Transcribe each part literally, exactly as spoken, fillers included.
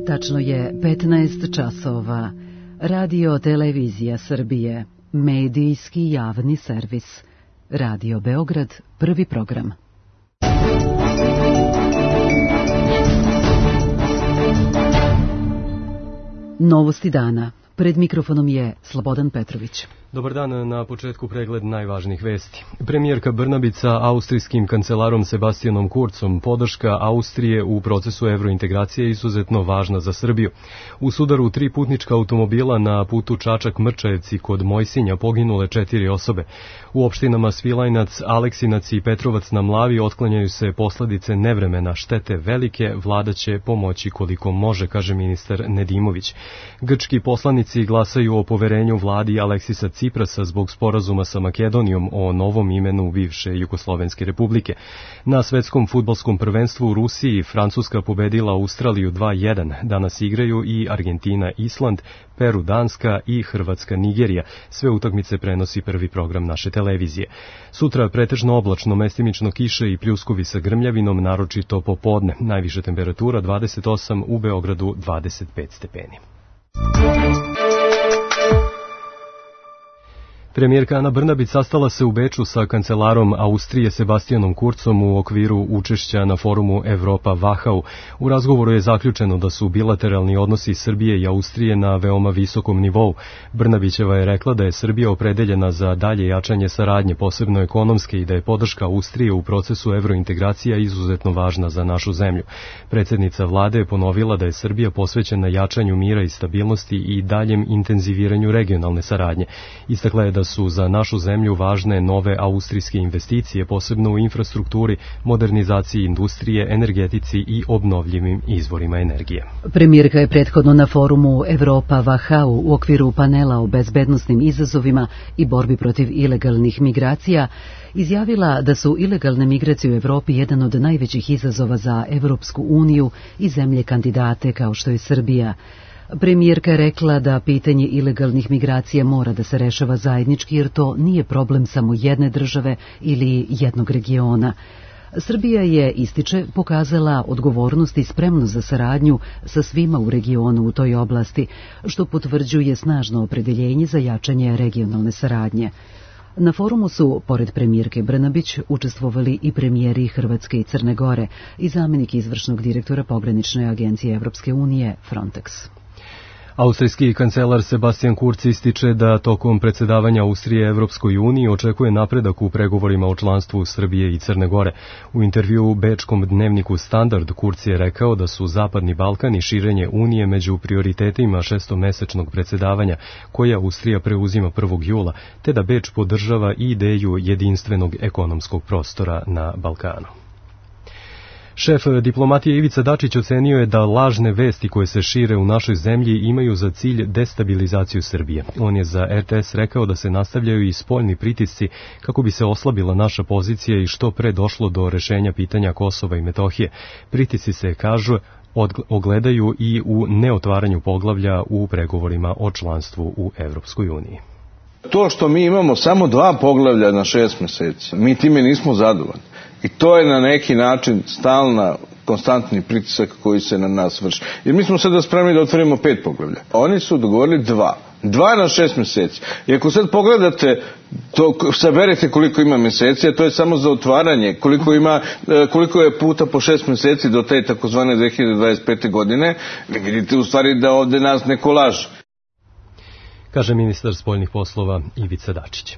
Tačno je petnaest časova. Radio Televizija Srbije, medijski javni servis. Radio Beograd, prvi program. Novosti dana. Pred mikrofonom je Slobodan Petrović. Dobar dan, na početku pregled najvažnijih vesti. Premijerka Brnabić sa austrijskim kancelarom Sebastianom Kurzom, podrška Austrije u procesu evrointegracije je izuzetno važna za Srbiju. U sudaru tri putnička automobila na putu Čačak-Mrčajevci kod Mojsinja poginule četiri osobe. U opštinama Svilajnac, Aleksinac i Petrovac na Mlavi otklanjaju se posledice nevremena, štete velike, vlada će pomoći koliko može, kaže ministar Nedimović. Grčki poslanici glasaju o poverenju vladi Aleksisa Ciprasa zbog sporazuma sa Makedonijom o novom imenu bivše Jugoslovenske republike. Na svetskom fudbalskom prvenstvu u Rusiji Francuska pobedila Australiju dva jedan. Danas igraju i Argentina, Island, Peru, Danska i Hrvatska, Nigerija. Sve utakmice prenosi prvi program naše televizije. Sutra pretežno oblačno, mestimično kiše i pljuskovi sa grmljavinom, naročito popodne. Najviša temperatura dvadeset osam, u Beogradu dvadeset pet stepeni. Premijerka Ana Brnabić sastala se u Beču sa kancelarom Austrije Sebastianom Kurzom u okviru učešća na forumu Evropa Wachau. U razgovoru je zaključeno da su bilateralni odnosi Srbije i Austrije na veoma visokom nivou. Brnabićeva je rekla da je Srbija opredeljena za dalje jačanje saradnje, posebno ekonomske, i da je podrška Austrije u procesu evrointegracija izuzetno važna za našu zemlju. Predsjednica vlade je ponovila da je Srbija posvećena jačanju mira i stabilnosti i daljem intenziviranju regionalne saradnje. Istakla je da su za našu zemlju važne nove austrijske investicije, posebno u infrastrukturi, modernizaciji industrije, energetici i obnovljivim izvorima energije. Premijerka je prethodno na forumu Evropa Wachau u okviru panela o bezbednosnim izazovima i borbi protiv ilegalnih migracija izjavila da su ilegalne migracije u Evropi jedan od najvećih izazova za Evropsku uniju i zemlje kandidate kao što je Srbija. Premijerka je rekla da pitanje ilegalnih migracija mora da se rešava zajednički, jer to nije problem samo jedne države ili jednog regiona. Srbija je, ističe, pokazala odgovornost i spremnost za saradnju sa svima u regionu u toj oblasti, što potvrđuje snažno opredeljenje za jačanje regionalne saradnje. Na forumu su, pored premijerke Brnabić, učestvovali i premijeri Hrvatske i Crne Gore i zamjenik izvršnog direktora pogranične agencije Evropske unije Frontex. Austrijski kancelar Sebastian Kurz ističe da tokom predsjedavanja Austrije Evropskoj uniji očekuje napredak u pregovorima o članstvu Srbije i Crne Gore. U intervjuu u bečkom dnevniku Standard Kurz je rekao da su Zapadni Balkan i širenje Unije među prioritetima šestomesečnog predsjedavanja, koje Austrija preuzima prvog jula, te da Beč podržava i ideju jedinstvenog ekonomskog prostora na Balkanu. Šef diplomatije Ivica Dačić ocenio je da lažne vesti koje se šire u našoj zemlji imaju za cilj destabilizaciju Srbije. On je za R T S rekao da se nastavljaju i spoljni pritisci kako bi se oslabila naša pozicija i što pre došlo do rešenja pitanja Kosova i Metohije. Pritisci se, kažu, ogledaju i u neotvaranju poglavlja u pregovorima o članstvu u Evropskoj uniji. To što mi imamo samo dva poglavlja na šest meseci, mi time nismo zadovoljni. I to je na neki način stalna, konstantni pritisak koji se na nas vrši. Jer mi smo sada spremni da otvorimo pet poglavlja. Oni su dogovorili dva. Dva na šest meseci. I ako sad pogledate, to, saberete koliko ima meseci, a to je samo za otvaranje, koliko, ima, koliko je puta po šest meseci do te takozvane dve hiljade dvadeset pete godine, vi vidite u stvari da ovde nas neko laže. Kaže ministar spoljnih poslova Ivica Dačić.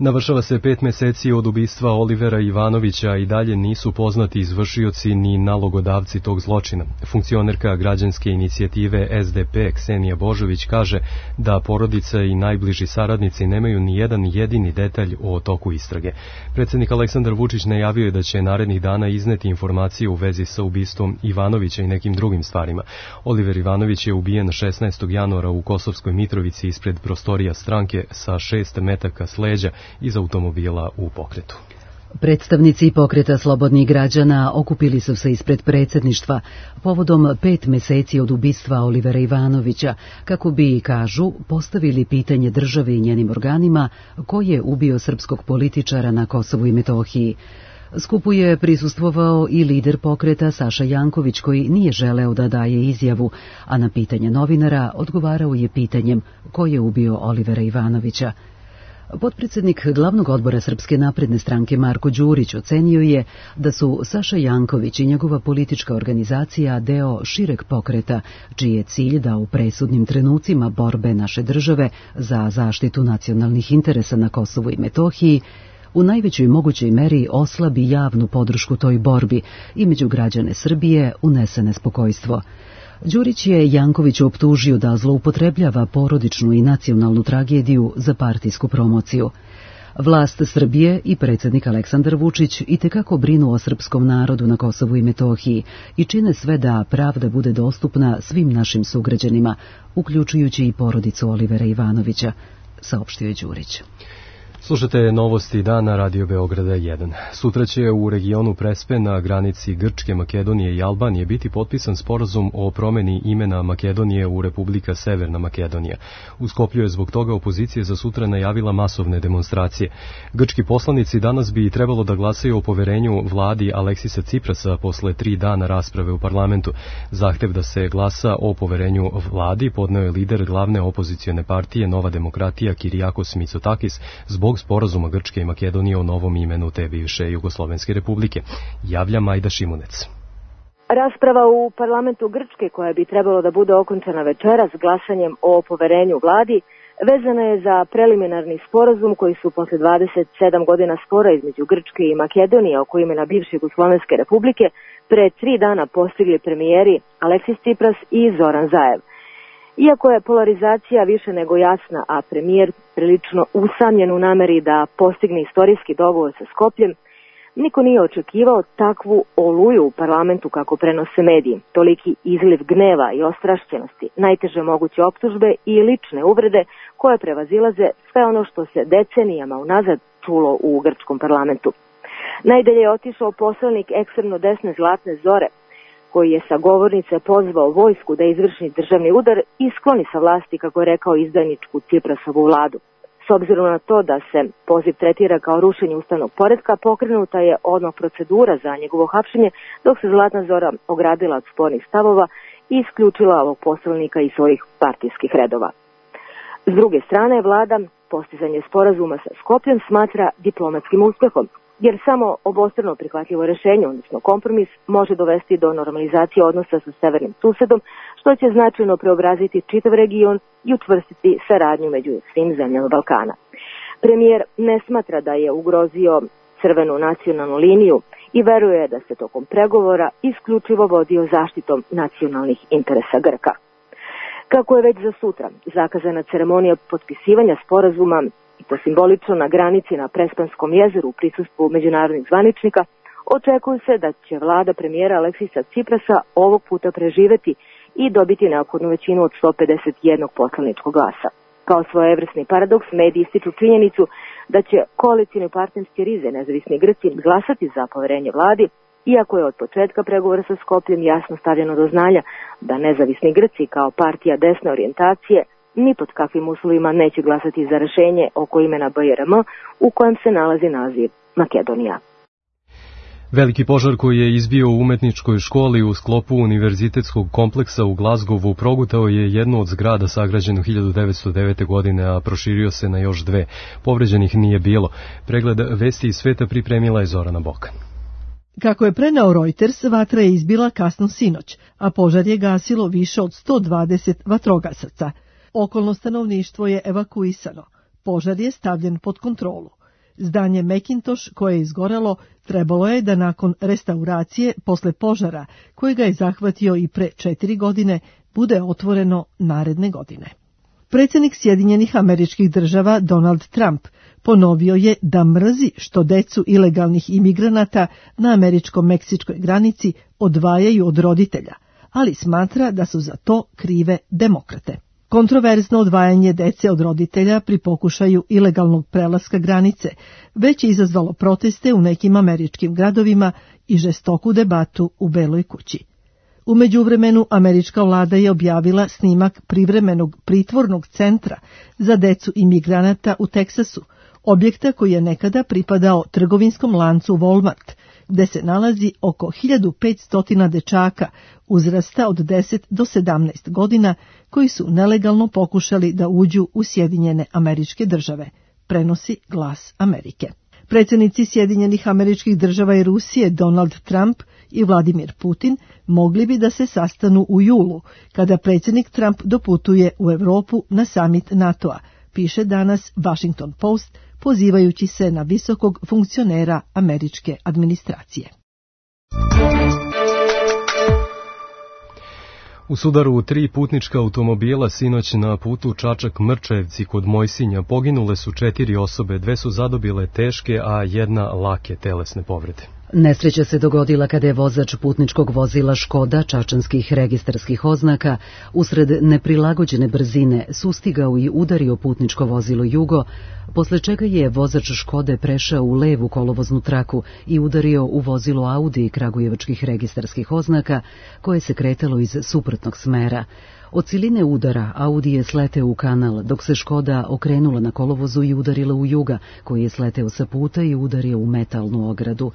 Navršava se pet meseci od ubistva Olivera Ivanovića i dalje nisu poznati izvršioci ni nalogodavci tog zločina. Funkcionerka građanske inicijative S D P Ksenija Božović kaže da porodica i najbliži saradnici nemaju ni jedan jedini detalj o toku istrage. Predsjednik Aleksandar Vučić najavio je da će narednih dana izneti informacije u vezi sa ubistvom Ivanovića i nekim drugim stvarima. Oliver Ivanović je ubijen šesnaestog januara u Kosovskoj Mitrovici ispred prostorija stranke sa šest metaka s leđa iz automobila u pokretu. Predstavnici pokreta slobodnih građana okupili su se ispred predsjedništva povodom pet meseci od ubistva Olivera Ivanovića, kako bi, kažu, postavili pitanje državi i njenim organima ko je ubio srpskog političara na Kosovu i Metohiji. Skupu je prisustvovao i lider pokreta Saša Janković, koji nije želeo da daje izjavu, a na pitanje novinara odgovarao je pitanjem ko je ubio Olivera Ivanovića. Potpredsjednik glavnog odbora Srpske napredne stranke Marko Đurić ocenio je da su Saša Janković i njegova politička organizacija deo šireg pokreta, čiji je cilj da u presudnim trenucima borbe naše države za zaštitu nacionalnih interesa na Kosovu i Metohiji u najvećoj mogućoj meri oslabi javnu podršku toj borbi i među građane Srbije unese nespokojstvo. Đurić je Jankovića optužio da zloupotrebljava porodičnu i nacionalnu tragediju za partijsku promociju. Vlast Srbije i predsjednik Aleksandar Vučić itekako brinu o srpskom narodu na Kosovu i Metohiji i čine sve da pravda bude dostupna svim našim sugrađanima, uključujući i porodicu Olivera Ivanovića, saopštio je Đurić. Slušate novosti dana Radio Beograda jedan. Sutra će u regionu Prespe na granici Grčke, Makedonije i Albanije biti potpisan sporazum o promeni imena Makedonije u Republika Severna Makedonija. U Skoplju je zbog toga opozicija za sutra najavila masovne demonstracije. Grčki poslanici danas bi trebalo da glasaju o poverenju vladi Aleksisa Ciprasa posle tri dana rasprave u parlamentu. Zahtev da se glasa o poverenju vladi podneo je lider glavne opozicione partije Nova demokratija Kirijakos Mitsotakis zbog sporazuma Grčke i Makedonije o novom imenu te bivše Jugoslovenske republike. Javlja Majda Šimunec. Rasprava u parlamentu Grčke, koja bi trebalo da bude okončana večeras glasanjem o poverenju vladi, vezana je za preliminarni sporazum koji su posle dvadeset sedam godina spora između Grčke i Makedonije oko imena bivše Jugoslovenske republike pre tri dana postigli premijeri Aleksis Cipras i Zoran Zaev. Iako je polarizacija više nego jasna, a premijer prilično usamljen u nameri da postigne istorijski dogovor sa Skopljem, niko nije očekivao takvu oluju u parlamentu kako prenose mediji, toliki izliv gneva i ostrašćenosti, najteže moguće optužbe i lične uvrede koje prevazilaze sve ono što se decenijama unazad čulo u grčkom parlamentu. Najdalje je otišao poslanik ekstremno desne Zlatne Zore, koji je sa govornice pozvao vojsku da izvrši državni udar i skloni sa vlasti, kako je rekao, izdajničku Ciprasovu vladu. S obzirom na to da se poziv tretira kao rušenje ustavnog poretka, pokrenuta je odmah procedura za njegovo hapšenje, dok se Zlatna Zora ogradila od spornih stavova i isključila ovog poslanika iz svojih partijskih redova. S druge strane, vlada postizanje sporazuma sa Skopljem smatra diplomatskim uspehom, jer samo obostrano prihvatljivo rešenje, odnosno kompromis, može dovesti do normalizacije odnosa sa severnim susedom, što će značajno preobraziti čitav region i učvrstiti saradnju među svim zemljama Balkana. Premijer ne smatra da je ugrozio crvenu nacionalnu liniju i veruje da se tokom pregovora isključivo vodio zaštitom nacionalnih interesa Grka. Kako je već za sutra zakazana ceremonija potpisivanja sporazuma, i to simbolično na granici na Prespanskom jezeru u prisustvu međunarodnih zvaničnika, očekuje se da će vlada premijera Aleksisa Ciprasa ovog puta preživeti i dobiti neophodnu većinu od sto pedeset jedan poslaničkog glasa. Kao svojevrsni paradoks, mediji ističu činjenicu da će koalicijni partnerski rize nezavisni Grci glasati za poverenje vladi, iako je od početka pregovora sa Skopljem jasno stavljeno do znanja da nezavisni Grci kao partija desne orijentacije ni pod kakvim uslovima neće glasati za rešenje oko imena B R M u kojem se nalazi naziv Makedonija. Veliki požar koji je izbio u umetničkoj školi u sklopu univerzitetskog kompleksa u Glazgovu progutao je jednu od zgrada sagrađenu hiljadu devetsto devete. godine, a proširio se na još dve. Povređenih nije bilo. Pregled vesti iz sveta pripremila je Zorana Bokan. Kako je preneo Reuters, vatra je izbila kasno sinoć, a požar je gasilo više od sto dvadeset vatrogasaca. Okolno stanovništvo je evakuisano. Požar je stavljen pod kontrolu. Zdanje Macintosh koje je izgorelo trebalo je da nakon restauracije posle požara, koji ga je zahvatio i pre četiri godine, bude otvoreno naredne godine. Predsjednik Sjedinjenih Američkih Država Donald Trump ponovio je da mrzi što decu ilegalnih imigranata na američko-meksičkoj granici odvajaju od roditelja, ali smatra da su za to krive demokrate. Kontroverzno odvajanje dece od roditelja pri pokušaju ilegalnog prelaska granice već je izazvalo proteste u nekim američkim gradovima i žestoku debatu u Beloj kući. U međuvremenu američka vlada je objavila snimak privremenog pritvornog centra za decu imigranata u Teksasu, objekta koji je nekada pripadao trgovinskom lancu Walmart gde se nalazi oko hiljadu petsto dečaka uzrasta od deset do sedamnaest godina koji su nelegalno pokušali da uđu u Sjedinjene Američke Države, prenosi Glas Amerike. Predsjednici Sjedinjenih Američkih Država i Rusije Donald Trump i Vladimir Putin mogli bi da se sastanu u julu, kada predsjednik Trump doputuje u Evropu na samit NATO-a, piše danas Washington Post, pozivajući se na visokog funkcionera američke administracije. U sudaru tri putnička automobila sinoć na putu Čačak-Mrčajevci kod Mojsinja poginule su četiri osobe, dve su zadobile teške, a jedna lake telesne povrede. Nesreća se dogodila kada je vozač putničkog vozila Škoda čačanskih registarskih oznaka usred neprilagođene brzine sustigao i udario putničko vozilo Jugo, posle čega je vozač Škode prešao u levu kolovoznu traku i udario u vozilo Audi kragujevačkih registarskih oznaka koje se kretalo iz suprotnog smera. Od siline udara Audi je sleteo u kanal, dok se Škoda okrenula na kolovozu i udarila u Juga, koji je sleteo sa puta i udario u metalnu ogradu.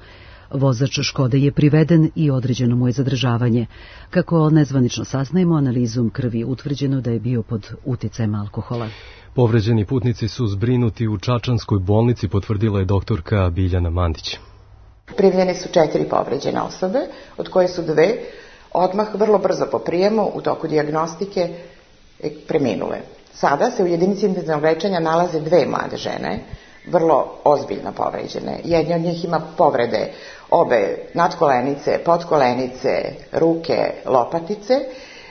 Vozač Škode je priveden i određeno mu je zadržavanje. Kako nezvanično saznajemo, analizom krvi utvrđeno da je bio pod uticajem alkohola. Povređeni putnici su zbrinuti u Čačanskoj bolnici, potvrdila je doktorka Biljana Mandić. Primljene su četiri povređene osobe, od koje su dve odmah vrlo brzo po prijemu u toku dijagnostike preminule. Sada se u jedinici intenzivnog lečenja nalaze dve mlade žene, vrlo ozbiljno povređene. Jedna od njih ima povrede obe nadkolenice, podkolenice, ruke, lopatice.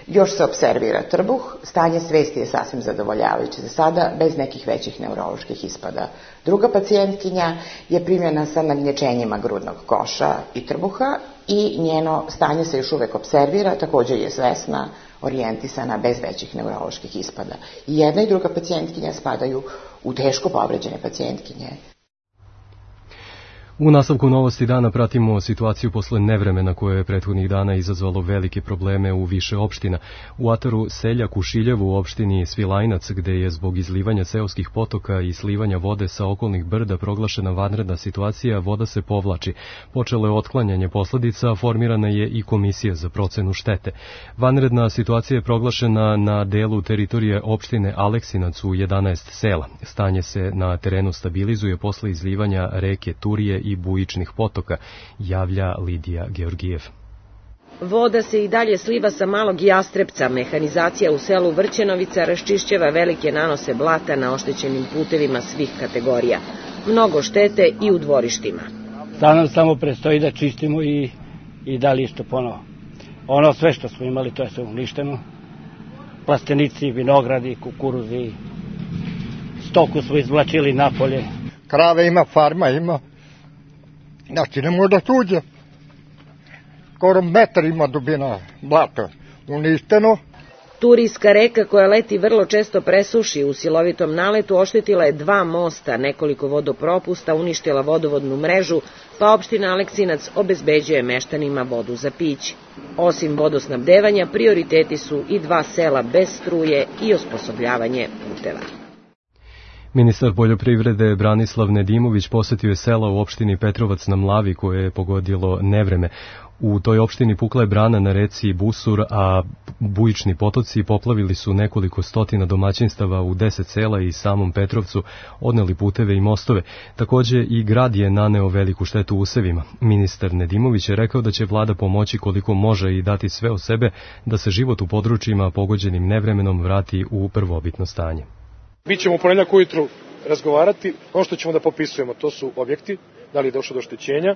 Još se observira trbuh, stanje svesti je sasvim zadovoljavajuće za sada, bez nekih većih neuroloških ispada. Druga pacijentkinja je primljena sa nagnječenjima grudnog koša i trbuha i njeno stanje se još uvek observira, također je svesna, orijentisana, bez većih neuroloških ispada. I jedna i druga pacijentkinja spadaju u teško povređene pacijentkinje. U nastavku novosti dana pratimo situaciju posle nevremena koje je prethodnih dana izazvalo velike probleme u više opština. U ataru Seljak u Šiljevu u opštini Svilajnac, gde je zbog izlivanja seoskih potoka i slivanja vode sa okolnih brda proglašena vanredna situacija, voda se povlači. Počelo je otklanjanje posledica, formirana je i komisija za procenu štete. Vanredna situacija je proglašena na delu teritorije opštine Aleksinac u jedanaest sela. Stanje se na terenu stabilizuje posle izlivanja reke Turije i bujičnih potoka, javlja Lidija Georgijev. Voda se i dalje sliva sa Malog Jastrepca. Mehanizacija u selu Vrćenovica raščišćava velike nanose blata na oštećenim putevima svih kategorija. Mnogo štete i u dvorištima. Sad nam samo prestoji da čistimo i, i da listo ponovo. Ono sve što smo imali, to je sve uništeno. Plastenici, vinogradi, kukuruzi, stoku smo izvlačili napolje. Krave ima, farma ima. Znači, ne može da tuđe. Skoro metar ima dubina blata. Uništeno. Turijska reka koja leti vrlo često presuši, u silovitom naletu oštetila je dva mosta, nekoliko vodopropusta, uništila vodovodnu mrežu, pa opština Aleksinac obezbeđuje meštanima vodu za piće. Osim vodosnabdevanja, prioriteti su i dva sela bez struje i osposobljavanje puteva. Ministar poljoprivrede Branislav Nedimović posetio je sela u opštini Petrovac na Mlavi koje je pogodilo nevreme. U toj opštini pukla je brana na reci Busur, a bujični potoci poplavili su nekoliko stotina domaćinstava u deset sela i samom Petrovcu, odneli puteve i mostove. Takođe i grad je naneo veliku štetu usevima. Ministar Nedimović je rekao da će vlada pomoći koliko može i dati sve od sebe da se život u područjima pogođenim nevremenom vrati u prvobitno stanje. Mi ćemo u ponedjeljak ujutru razgovarati, ono što ćemo da popisujemo, to su objekti, da li je došlo do oštećenja,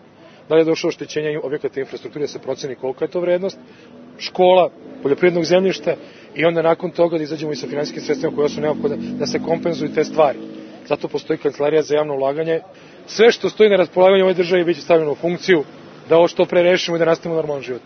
da li je došlo do oštećenja objekata infrastrukture, da se proceni kolika je to vrednost, škola, poljoprivrednog zemljišta i onda nakon toga da izađemo i sa finansijskim sredstvima koje su neophodne da se kompenzuju te stvari. Zato postoji Kancelarija za javno ulaganje. Sve što stoji na raspolaganju ove države biće stavljeno u funkciju da ovo što pre rešimo i da nastavimo normalan život.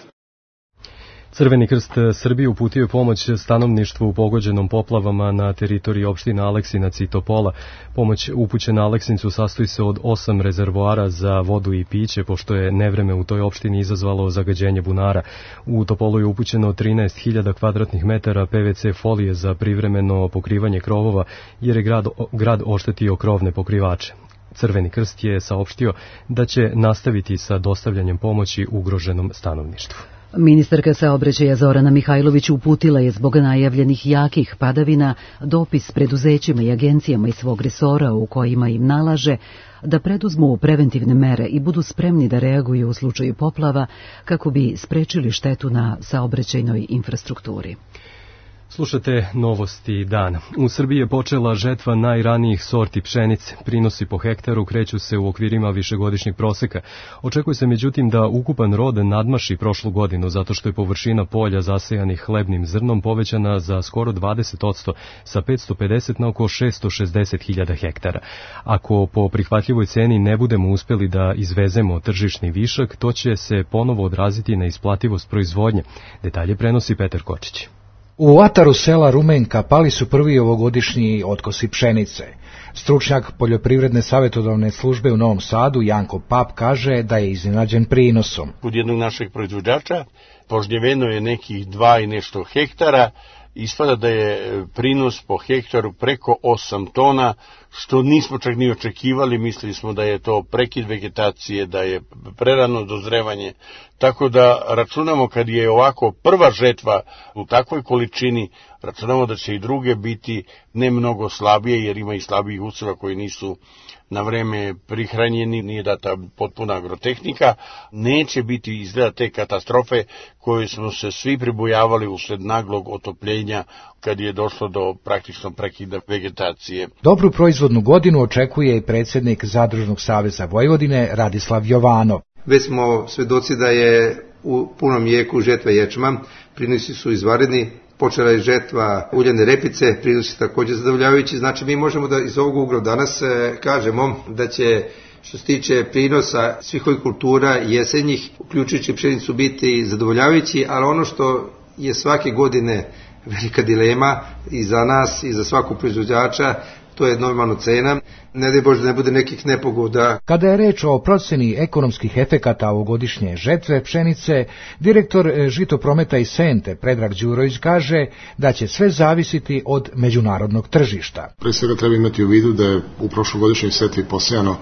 Crveni krst Srbije uputio je pomoć stanovništvu pogođenom poplavama na teritoriji opština Aleksinac i Topola. Pomoć upućena Aleksincu sastoji se od osam rezervoara za vodu i piće, pošto je nevreme u toj opštini izazvalo zagađenje bunara. U Topolu je upućeno trinaest hiljada kvadratnih metara P V C folije za privremeno pokrivanje krovova, jer je grad, grad oštetio krovne pokrivače. Crveni krst je saopštio da će nastaviti sa dostavljanjem pomoći ugroženom stanovništvu. Ministarka saobraćaja Zorana Mihajlović uputila je zbog najavljenih jakih padavina dopis preduzećima i agencijama iz svog resora u kojima im nalaže da preduzmu preventivne mere i budu spremni da reaguju u slučaju poplava kako bi sprečili štetu na saobraćajnoj infrastrukturi. Slušate novosti dana. U Srbiji je počela žetva najranijih sorti pšenice. Prinosi po hektaru kreću se u okvirima višegodišnjeg proseka. Očekuje se međutim da ukupan rod nadmaši prošlu godinu zato što je površina polja zasejanih hlebnim zrnom povećana za skoro dvadeset posto sa petsto pedeset na oko šesto šezdeset hiljada hektara. Ako po prihvatljivoj ceni ne budemo uspeli da izvezemo tržišni višak, to će se ponovo odraziti na isplativost proizvodnje. Detalje prenosi Petar Kočić. U ataru sela Rumenka pali su prvi ovogodišnji otkosi pšenice. Stručnjak poljoprivredne savjetodavne službe u Novom Sadu, Janko Pap, kaže da je iznenađen prinosom. Kod jednog našeg proizvođača požnjeveno je nekih dva i nešto hektara, ispada da je prinos po hektaru preko osam tona, što nismo čak ni očekivali, mislili smo da je to prekid vegetacije, da je prerano dozrevanje, tako da računamo kad je ovako prva žetva u takvoj količini, računamo da će i druge biti ne mnogo slabije, jer ima i slabijih useva koji nisu na vreme prihranjeni, nije data potpuna agrotehnika, neće biti izgleda te katastrofe koje smo se svi pribojavali usled naglog otopljenja kad je došlo do praktično prekida vegetacije. Dobru proizvodnu godinu očekuje i predsjednik Zadružnog saveza Vojvodine Radislav Jovanov. Već smo svedoci da je u punom jeku žetva ječma, prinosi su izvanredni, počela je žetva uljane repice, prinosi također zadovoljavajući, znači mi možemo da iz ovog ugla danas kažemo da će što se tiče prinosa svih ovih kultura jesenjih, uključujući pšenicu, biti zadovoljavajući, ali ono što je svake godine velika dilema i za nas i za svakog proizvođača, to je normalna cena. Ne daj Bože da ne bude nekih nepogoda. Kada je reč o proceni ekonomskih efekata ovogodišnje žetve pšenice, direktor Žitoprometa i Sente Predrag Đurović kaže da će sve zavisiti od međunarodnog tržišta. Pre svega treba imati u vidu da je u prošlogodišnjoj setvi posejano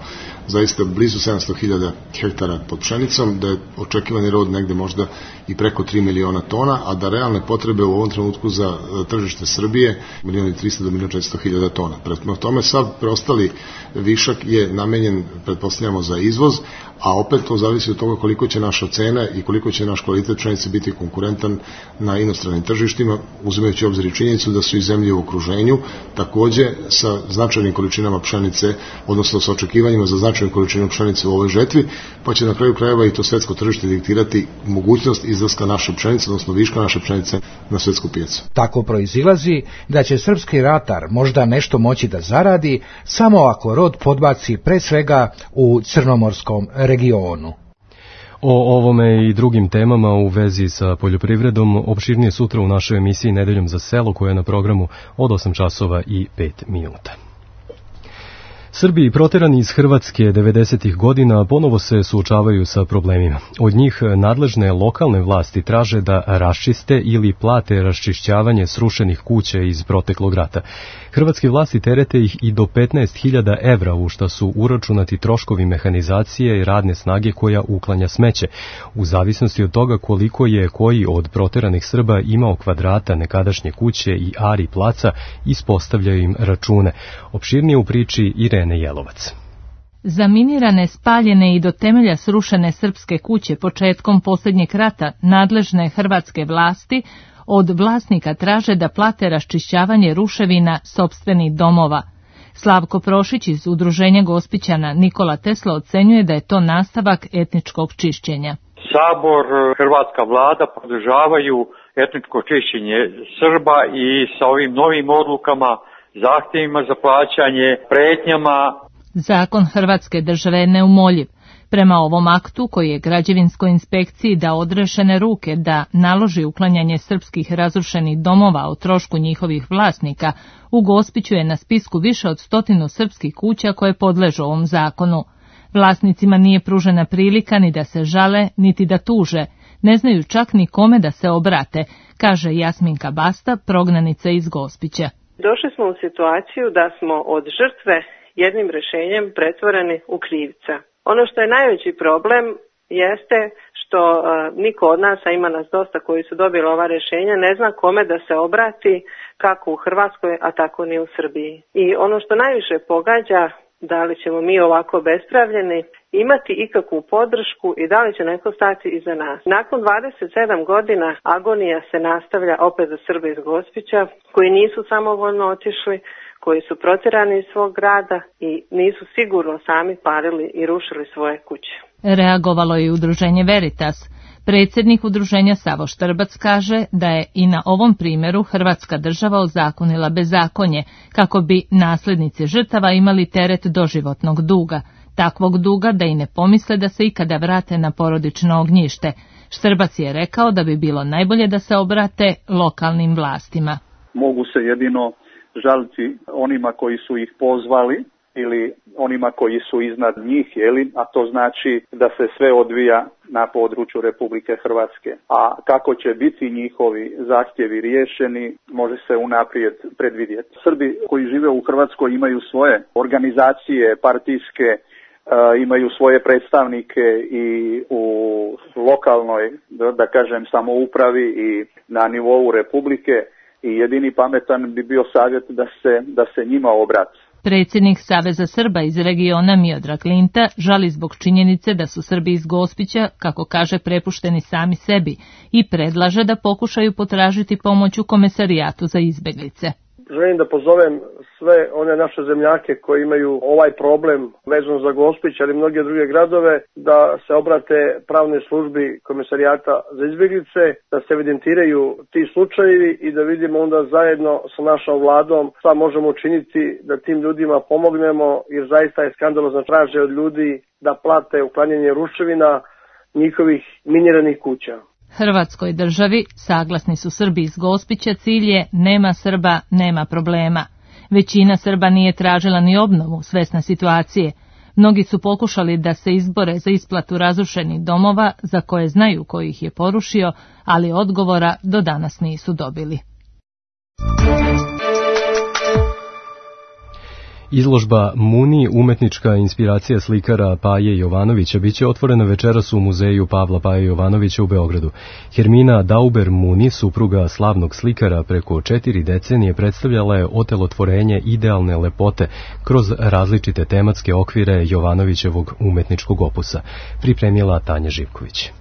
zaista blizu sedamsto hiljada hektara pod pšenicom, da je očekivani rod negde možda i preko tri miliona tona, a da realne potrebe u ovom trenutku za tržište Srbije milion i trista do milion četiristo hiljada tona. Prema tome sav preostali višak je namenjen, pretpostavljamo, za izvoz, a opet to zavisi od toga koliko će naša cena i koliko će naš kvalitet pšenice biti konkurentan na inostranim tržištima, uzimajući obzir i činjenicu da su i zemlje u okruženju takođe sa značajnim količinama pšenice, odnosno sa očekivanjima za značajnu količinu pšenice u ovoj žetvi, pa će na kraju krajeva i to svetsko tržište diktirati mogućnost izlaska naše pšenice, odnosno viška naše pšenice na svetsku pijacu. Tako proizilazi da će srpski ratar možda nešto moći da zaradi samo ako rod podbaci pre svega u crnomorskom regionu. O ovome i drugim temama u vezi sa poljoprivredom opširnije sutra u našoj emisiji Nedeljom za selo, koja je na programu od osam časova i pet minuta. Srbi proterani iz Hrvatske devedesetih godina ponovo se suočavaju sa problemima. Od njih nadležne lokalne vlasti traže da raščiste ili plate raščišćavanje srušenih kuća iz proteklog rata. Hrvatske vlasti terete ih i do petnaest hiljada evra, u šta su uračunati troškovi mehanizacije i radne snage koja uklanja smeće. U zavisnosti od toga koliko je koji od proteranih Srba imao kvadrata nekadašnje kuće i ari placa, ispostavljaju im račune. Opširnije u priči Irene Jelovac. Zaminirane, spaljene i do temelja srušene srpske kuće početkom posljednjeg rata nadležne hrvatske vlasti od vlasnika traže da plate raščišćavanje ruševina sopstvenih domova. Slavko Prošić iz Udruženja Gospićana Nikola Tesla ocenjuje da je to nastavak etničkog čišćenja. Sabor, hrvatska vlada podržavaju etničko čišćenje Srba i sa ovim novim odlukama, zahtjevima za plaćanje, pretnjama. Zakon Hrvatske države je neumoljiv. Prema ovom aktu, koji je građevinskoj inspekciji dao odrešene ruke da naloži uklanjanje srpskih razrušenih domova o trošku njihovih vlasnika, u Gospiću je na spisku više od stotinu srpskih kuća koje podležu ovom zakonu. Vlasnicima nije pružena prilika ni da se žale, niti da tuže. Ne znaju čak ni kome da se obrate, kaže Jasminka Basta, prognanica iz Gospića. Došli smo u situaciju da smo od žrtve jednim rešenjem pretvoreni u krivca. Ono što je najveći problem jeste što uh, niko od nas, a ima nas dosta koji su dobili ova rešenja, ne zna kome da se obrati, kako u Hrvatskoj, a tako ni u Srbiji. I ono što najviše pogađa, da li ćemo mi ovako bespravljeni imati ikakvu podršku i da li će neko stati iza nas. Nakon dvadeset sedam godina agonija se nastavlja opet za Srbe iz Gospića, koji nisu samovoljno otišli, koji su protjerani iz svog grada i nisu sigurno sami palili i rušili svoje kuće. Reagovalo je udruženje Veritas. Predsjednik udruženja Savo Štrbac kaže da je i na ovom primjeru Hrvatska država ozakonila bezakonje, kako bi nasljednici žrtava imali teret doživotnog duga, takvog duga da i ne pomisle da se ikada vrate na porodično ognjište. Štrbac je rekao da bi bilo najbolje da se obrate lokalnim vlastima. Mogu se jedino žaliti onima koji su ih pozvali ili onima koji su iznad njih, jeli, a to znači da se sve odvija na području Republike Hrvatske. A kako će biti njihovi zahtjevi riješeni, može se unaprijed predvidjeti. Srbi koji žive u Hrvatskoj imaju svoje organizacije partijske, imaju svoje predstavnike i u lokalnoj, da kažem, samoupravi i na nivou Republike i jedini pametan bi bio savjet da se, da se njima obrati. Predsjednik Saveza Srba iz regiona Miodrag Linta žali zbog činjenice da su Srbi iz Gospića, kako kaže, prepušteni sami sebi i predlaže da pokušaju potražiti pomoć u Komesarijatu za izbeglice. Želim da pozovem sve one naše zemljake koji imaju ovaj problem vezan za Gospić, ali i mnoge druge gradove, da se obrate pravnoj službi Komesarijata za izbjeglice, da se evidentiraju ti slučajevi i da vidimo onda zajedno sa našom vladom šta možemo učiniti da tim ljudima pomognemo, jer zaista je skandalozno traže od ljudi da plate uklanjanje ruševina njihovih miniranih kuća. Hrvatskoj državi, saglasni su Srbi iz Gospića, cilj je nema Srba, nema problema. Većina Srba nije tražila ni obnovu svesne situacije. Mnogi su pokušali da se izbore za isplatu razrušenih domova za koje znaju ko ih je porušio, ali odgovora do danas nisu dobili. Izložba Muni, umetnička inspiracija slikara Paje Jovanovića, biće otvorena večeras u muzeju Pavla Paje Jovanovića u Beogradu. Hermina Dauber Muni, supruga slavnog slikara, preko četiri decenije predstavljala je otelotvorenje idealne lepote kroz različite tematske okvire Jovanovićevog umetničkog opusa. Pripremila Tanja Živković.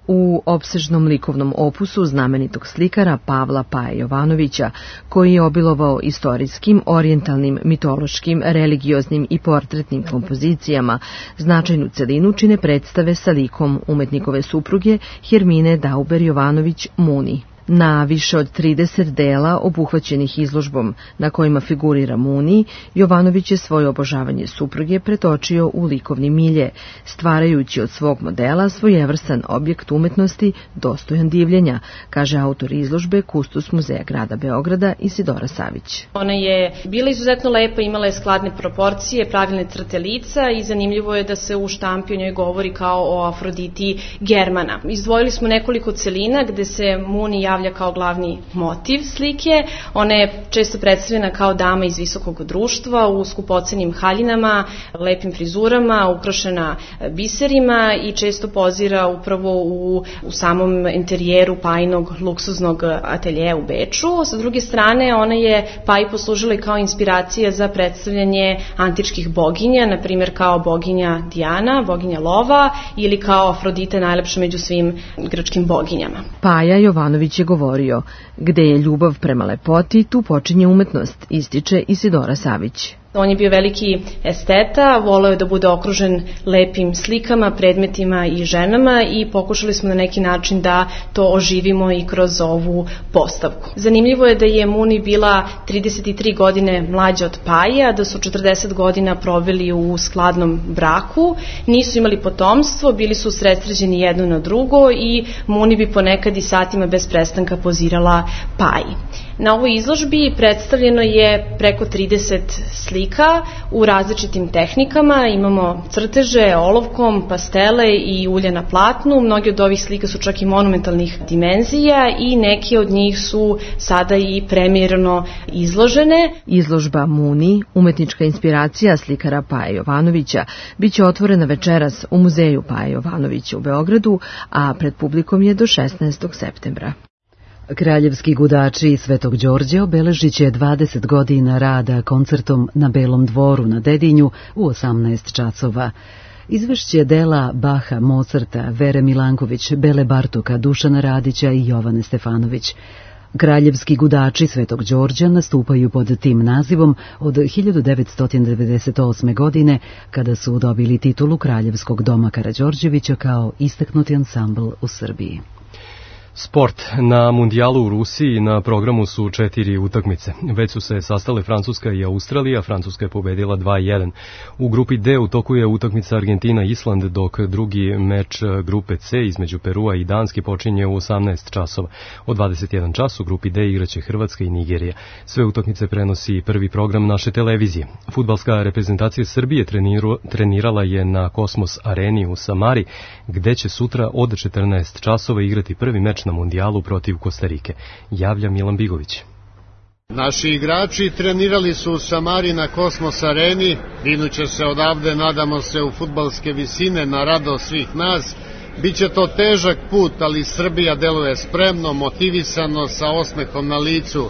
U opsežnom likovnom opusu znamenitog slikara Pavla Paje Jovanovića, koji je obilovao istorijskim, orijentalnim, mitološkim, religioznim i portretnim kompozicijama, značajnu celinu čine predstave sa likom umetnikove supruge Hermine Dauber Jovanović Muni. Na više od trideset dela obuhvaćenih izložbom na kojima figurira Muni, Jovanović je svoje obožavanje supruge pretočio u likovni milje, stvarajući od svog modela svojevrstan objekt umetnosti dostojan divljenja, kaže autor izložbe, kustos muzeja grada Beograda Isidora Savić. Ona je bila izuzetno lepa, imala je skladne proporcije, pravilne crte lica i zanimljivo je da se u štampi o njoj govori kao o Afroditi Germana. Izdvojili smo nekoliko celina gde se Muni javlja kao glavni motiv slike. Ona je često predstavljena kao dama iz visokog društva u skupocenim haljinama, lepim frizurama, ukrašena biserima i često pozira upravo u, u samom interijeru Pajinog luksuznog ateljeja u Beču. Sa druge strane, ona je Paji poslužila i kao inspiracija za predstavljanje antičkih boginja, na primjer kao boginja Dijana, boginja lova, ili kao Afrodite, najlepša među svim grčkim boginjama. Paja Jovanović je govorio, gde je ljubav prema lepoti, tu počinje umetnost, ističe Isidora Savić. On je bio veliki esteta, voleo je da bude okružen lepim slikama, predmetima i ženama i pokušali smo na neki način da to oživimo i kroz ovu postavku. Zanimljivo je da je Muni bila trideset tri godine mlađa od Paje, a da su četrdeset godina proveli u skladnom braku, nisu imali potomstvo, bili su usredsređeni jedno na drugo i Muni bi ponekad i satima bez prestanka pozirala Paji. Na ovoj izložbi predstavljeno je preko trideset slika slika u različitim tehnikama. Imamo crteže, olovkom, pastele i ulje na platnu. Mnogi od ovih slika su čak i monumentalnih dimenzija i neke od njih su sada i premijerno izložene. Izložba Muni, umetnička inspiracija slikara Paje Jovanovića, biće otvorena večeras u muzeju Paje Jovanovića u Beogradu, a pred publikom je do šesnaestog septembra. Kraljevski gudači Svetog Đorđe obeležit će dvadeset godina rada koncertom na Belom dvoru na Dedinju u osamnaest časova. Izvešće dela Baha, Mozarta, Vere Milanković, Bele Bartoka, Dušana Radića i Jovane Stefanović. Kraljevski gudači Svetog Đorđa nastupaju pod tim nazivom od hiljadu devetsto devedeset osme. godine, kada su dobili titulu Kraljevskog doma Karađorđevića kao istaknuti ansambl u Srbiji. Sport. Na mundijalu u Rusiji na programu su četiri utakmice. Već su se sastale Francuska i Australija. Francuska je pobedila dva jedan. U grupi D u toku je utakmica Argentina-Island, dok drugi meč grupe C između Perua i Danske počinje u osamnaest časova. Od dvadeset jedan čas u grupi D igraće Hrvatska i Nigerija. Sve utakmice prenosi prvi program naše televizije. Fudbalska reprezentacija Srbije treniru, trenirala je na Kosmos areni u Samari, gde će sutra od četrnaest časova igrati prvi meč na mundijalu protiv Kostarike. Javlja Milan Bigović. Naši igrači trenirali su u Samari na Kosmos areni, vinuće se odavde, nadamo se, u fudbalske visine na radost svih nas. Biće to težak put, ali Srbija deluje spremno, motivisano, sa osmehom na licu.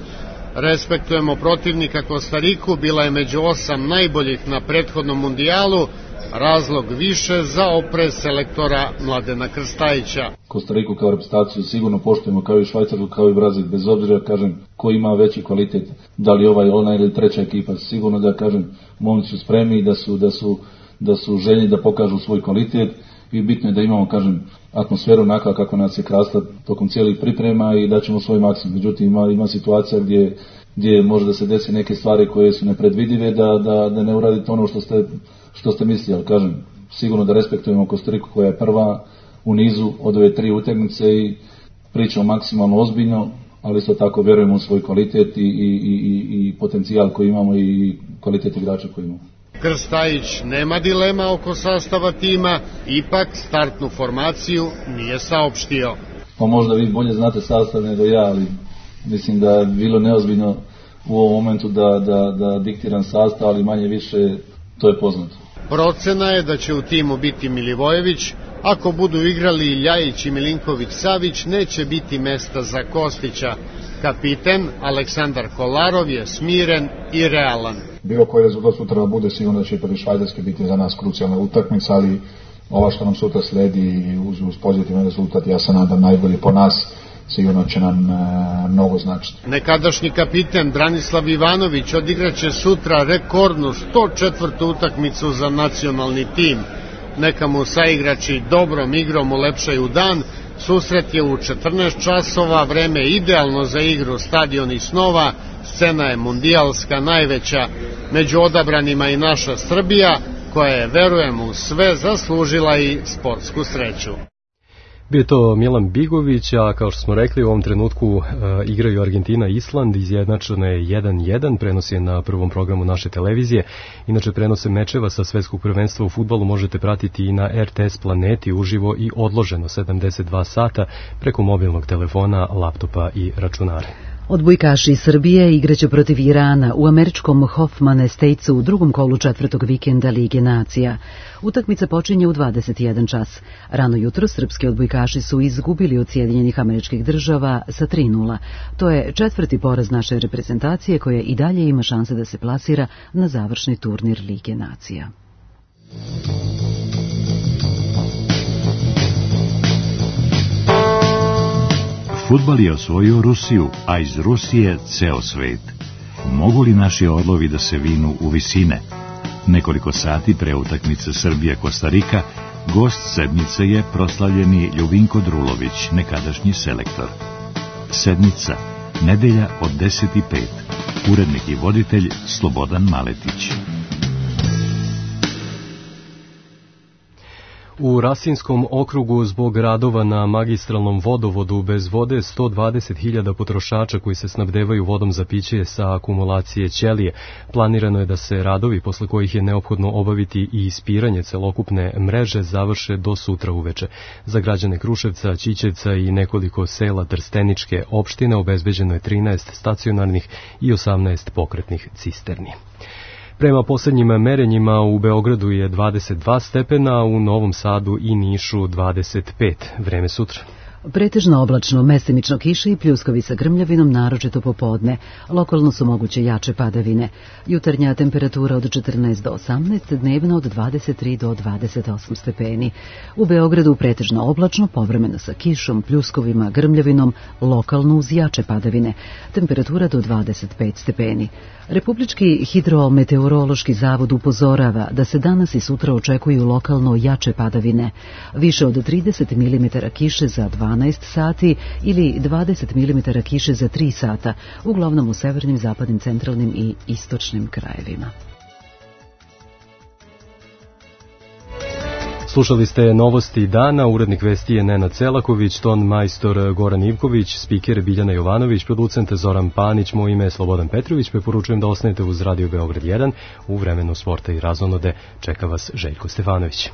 Respektujemo protivnika Kostariku, bila je među osam najboljih na prethodnom mundijalu, razlog više za oprez selektora Mladena Krstajića. Kostariku kao reprezentaciju sigurno poštujemo, kao i Švajcarsku, kao i Brazil, bez obzira, kažem, ko ima veći kvalitet, da li ovaj, ona ili treća ekipa, sigurno da, kažem, momci su spremni, da su, da su, da su željni da pokažu svoj kvalitet i bitno je da imamo, kažem, atmosferu onaka kako nas je krasla tokom cijelih priprema i da ćemo svoj maksimum. Međutim, ima, ima situacija gdje, gdje može da se desi neke stvari koje su nepredvidive, da, da, da ne uradite ono što ste što ste mislili, ali kažem, sigurno da respektujemo Kostariku koja je prva u nizu od ove tri utakmice i pričamo maksimalno ozbiljno, ali isto tako vjerujemo u svoj kvalitet i, i, i, i potencijal koji imamo i kvalitet igrača koji imamo. Krstajić nema dilema oko sastava tima, ipak startnu formaciju nije saopštio. Pa možda vi bolje znate sastav nego ja, ali mislim da je bilo neozbiljno u ovom momentu da, da, da diktiram sastav, ali manje više to je poznato. Procena je da će u timu biti Milivojević, ako budu igrali Ljajić i Milinković-Savić, neće biti mesta za Kostića. Kapiten Aleksandar Kolarov je smiren i realan. Bilo koji rezultat sutra bude, sigurno da će prvi Švajcarski biti za nas krucijalna utakmica, ali ova što nam sutra sledi uz, uz pozitivan rezultat, ja se nadam najbolji po nas, sigurno će nam e, mnogo značiti. Nekadašnji kapiten Branislav Ivanović odigraće sutra rekordnu sto četvrtu utakmicu za nacionalni tim. Neka mu saigrači dobrom igrom ulepšaju dan. Susret je u četrnaest časova, vreme idealno za igru stadioni snova, scena je mundijalska najveća, među odabranima i naša Srbija, koja je, verujem u sve, zaslužila i sportsku sreću. Bio je to Milan Bigović, a kao što smo rekli, u ovom trenutku e, igraju Argentina i Island, izjednačeno je jedan jedan, prenos je na prvom programu naše televizije. Inače, prenose mečeva sa svetskog prvenstva u fudbalu možete pratiti i na R T S Planeti uživo i odloženo sedamdeset dva sata preko mobilnog telefona, laptopa i računara. Odbojkaši Srbije igraće protiv Irana u američkom Hoffman Estatesu u drugom kolu četvrtog vikenda Lige nacija. Utakmica počinje u dvadeset jedan čas. Rano jutro srpski odbojkaši su izgubili od Sjedinjenih Američkih Država sa tri nula. To je četvrti poraz naše reprezentacije koja i dalje ima šanse da se plasira na završni turnir Lige nacija. Fudbal je osvojio Rusiju, a iz Rusije ceo svet. Mogu li naši orlovi da se vinu u visine? Nekoliko sati pre utakmice Srbija-Kostarika, gost sedmice je proslavljeni Ljubinko Drulović, nekadašnji selektor. Sedmica, nedelja od deset i pet. Urednik i voditelj Slobodan Maletić. U Rasinskom okrugu zbog radova na magistralnom vodovodu bez vode sto dvadeset hiljada potrošača koji se snabdevaju vodom za piće sa akumulacije ćelije. Planirano je da se radovi posle kojih je neophodno obaviti i ispiranje celokupne mreže završe do sutra uveče. Za građane Kruševca, Ćićevca i nekoliko sela Trsteničke opštine obezbeđeno je trinaest stacionarnih i osamnaest pokretnih cisterni. Prema poslednjim merenjima u Beogradu je dvadeset dva stepena, u Novom Sadu i Nišu dvadeset pet. Vreme sutra. Pretežno oblačno, mestimično kiše i pljuskovi sa grmljavinom, naročito popodne. Lokalno su moguće jače padavine. Jutarnja temperatura od četrnaest do osamnaest, dnevno od dvadeset tri do dvadeset osam stepeni. U Beogradu pretežno oblačno, povremeno sa kišom, pljuskovima, grmljavinom, lokalno uz jače padavine. Temperatura do dvadeset pet stepeni. Republički hidrometeorološki zavod upozorava da se danas i sutra očekuju lokalno jače padavine. Više od trideset milimetara kiše za dvanaest sati ili dvadeset milimetara kiše za tri sata, uglavnom u severnim, zapadnim, centralnim i istočnim krajevima. Slušali ste novosti dana, urednik vesti je Nenad Celaković, ton majstor Goran Ivković, spiker Biljana Jovanović, producent Zoran Panić, moje ime je Slobodan Petrović, preporučujem da ostanete uz Radio Beograd jedan, u vremenu sporta i razonode čeka vas Željko Stefanović.